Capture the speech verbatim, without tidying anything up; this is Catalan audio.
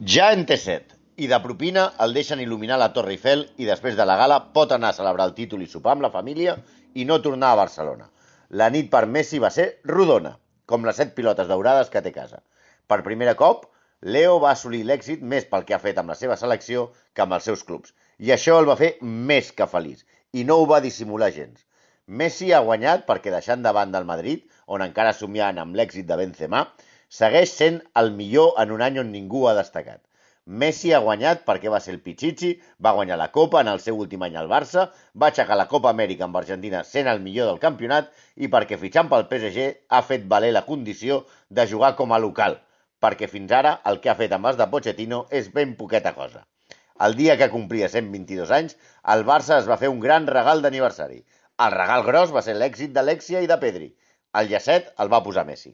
Ja en té set, i de propina el deixen il·luminar la Torre Eiffel i després de la gala pot anar a celebrar el títol i sopar amb la família i no tornar a Barcelona. La nit per Messi va ser rodona, com les set pilotes daurades que té a casa. Per primer cop, Leo va assolir l'èxit més pel que ha fet amb la seva selecció que amb els seus clubs, i això el va fer més que feliç, i no ho va dissimular gens. Messi ha guanyat perquè deixant de banda el Madrid, on encara somiant amb l'èxit de Benzema, segueix sent el millor en un any on ningú ha destacat. Messi ha guanyat perquè va ser el Pichichi, va guanyar la Copa en el seu últim any al Barça, va aixecar la Copa Amèrica amb Argentina sent el millor del campionat i perquè fitxant pel P S G ha fet valer la condició de jugar com a local, perquè fins ara el que ha fet amb els de Pochettino és ben poqueta cosa. El dia que complia cent vint-i-dos anys, el Barça es va fer un gran regal d'aniversari. El regal gros va ser l'èxit d'Alexia i de Pedri. El llacet el va posar Messi.